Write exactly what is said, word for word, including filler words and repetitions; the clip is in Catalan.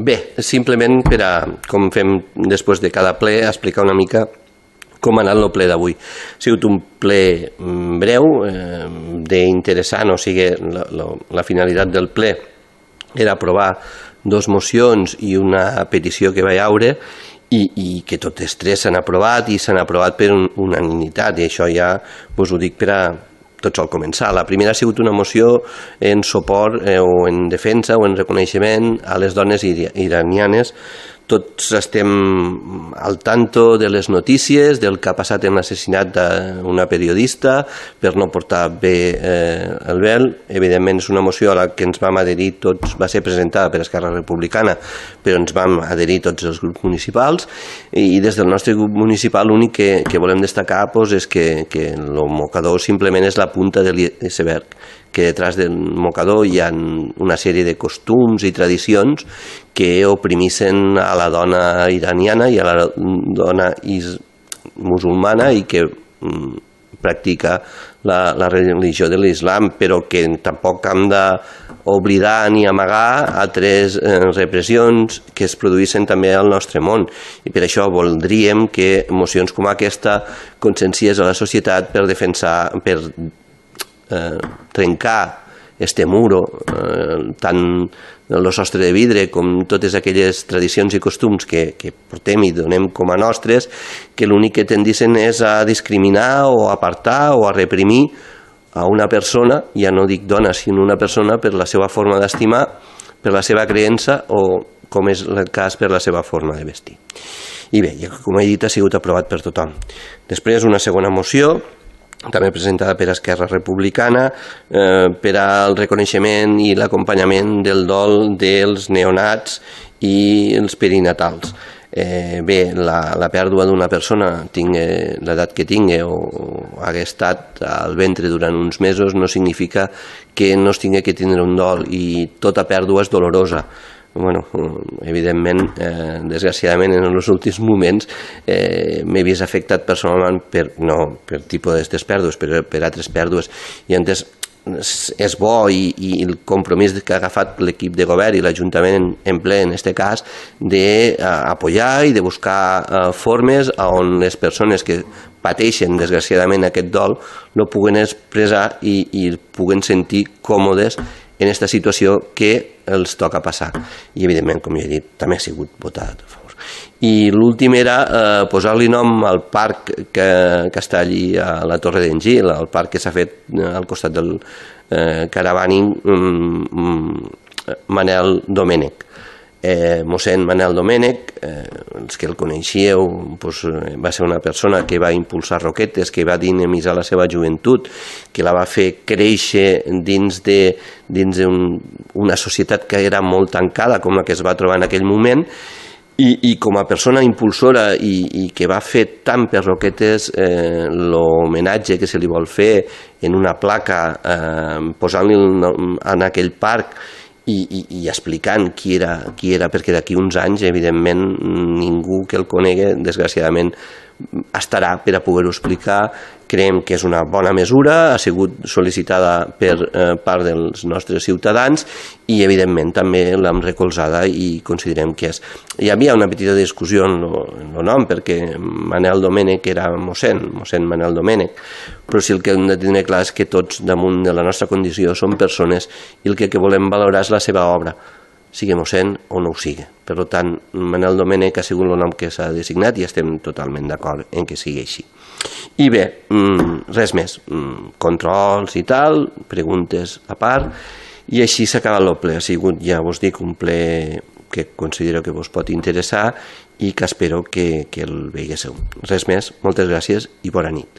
Bé, simplement per a, com fem després de cada ple, explicar una mica com ha anat el ple d'avui. Ha sigut un ple breu, eh, d'interessant, o sigui, la, la, la finalitat del ple era aprovar dos mocions i una petició que va haure i, i que totes tres s'han aprovat i s'han aprovat per un, unanimitat, i això ja us ho dic per a tot sol començar. La primera ha sigut una moció en suport eh, o en defensa o en reconeixement a les dones iranianes. Tots estem al tanto de les notícies, del que ha passat en l'assassinat d'una periodista per no portar bé eh, el vel. Evidentment és una moció a la que ens vam adherir tots, va ser presentada per Esquerra Republicana, però ens vam adherir tots els grups municipals, i des del nostre grup municipal l'únic que, que volem destacar doncs, és que, que el mocador simplement és la punta de l'iceberg, que detrás del mocador hi ha una sèrie de costums i tradicions que oprimissen a la dona iraniana i a la dona musulmana i que mm, practica la, la religió de l'islam, però que tampoc hem d'oblidar ni amagar altres eh, repressions que es produïssin també al nostre món. I per això voldríem que mocions com aquesta conscienciés a la societat per defensar, per Eh, trencar este muro, eh, tant el sostre de vidre com totes aquelles tradicions i costums que, que portem i donem com a nostres, que l'únic que tendissin és a discriminar o a apartar o a reprimir a una persona, ja no dic dona, sinó una persona per la seva forma d'estimar, per la seva creença o, com és el cas, per la seva forma de vestir. I bé, com he dit, ha sigut aprovat per tothom. Després, una segona moció, també presentada per Esquerra Republicana, eh, per al reconeixement i l'acompanyament del dol dels neonats i els perinatals. Eh, bé, la, la pèrdua d'una persona, tingui l'edat que tingui o, o hagués estat al ventre durant uns mesos, no significa que no es tingui que tindre un dol, i tota pèrdua és dolorosa. Bueno, evidentment, eh, desgraciadament, en els últims moments eh, m'he vist afectat personalment per, no per tipus d'aquestes pèrdues, però per altres pèrdues, i antes és bo i, i el compromís que ha agafat l'equip de govern i l'Ajuntament en, en ple, en aquest cas, d'apoyar i de buscar eh, formes on les persones que pateixen desgraciadament aquest dol no puguen expressar i, i puguen sentir còmodes en aquesta situació que els toca passar. I, evidentment, com ja he dit, també ha sigut votat a favor. I l'últim era eh, posar-li nom al parc que, que està allí a la Torre d'en Gil, el parc que s'ha fet al costat del eh, Caravaning um, Manel Domènech. Eh, mossèn Manel Domènech, eh, els que el coneixíeu, doncs, va ser una persona que va impulsar Roquetes, que va dinamitzar la seva joventut, que la va fer créixer dins de dins un, una societat que era molt tancada, com la que es va trobar en aquell moment, i, i com a persona impulsora i, i que va fer tant per Roquetes, eh, l'homenatge que se li vol fer en una placa, eh, posant-li en aquell parc, I, i, i explicant qui era, qui era, perquè d'aquí uns anys, evidentment, ningú que el conegui, desgraciadament, estarà per a poder-ho explicar. Creiem que és una bona mesura, ha sigut sol·licitada per eh, part dels nostres ciutadans i, evidentment, també l'hem recolzada i considerem que és. Hi havia una petita discussió en el nom, perquè Manel Domènech era mossèn, mossèn Manel Domènech, però sí el que hem de tenir clar és que tots, damunt de la nostra condició, som persones i el que, que volem valorar és la seva obra, sigui mossèn o no ho sigui. Per tant, Manel Domènech ha sigut el nom que s'ha designat i estem totalment d'acord en que sigui així. I bé, res més, controls i tal, preguntes a part, i així s'ha acabat el ple. Ha sigut, ja us dic, un ple que considero que vos pot interessar i que espero que, que el veiguéssiu. Res més, moltes gràcies i bona nit.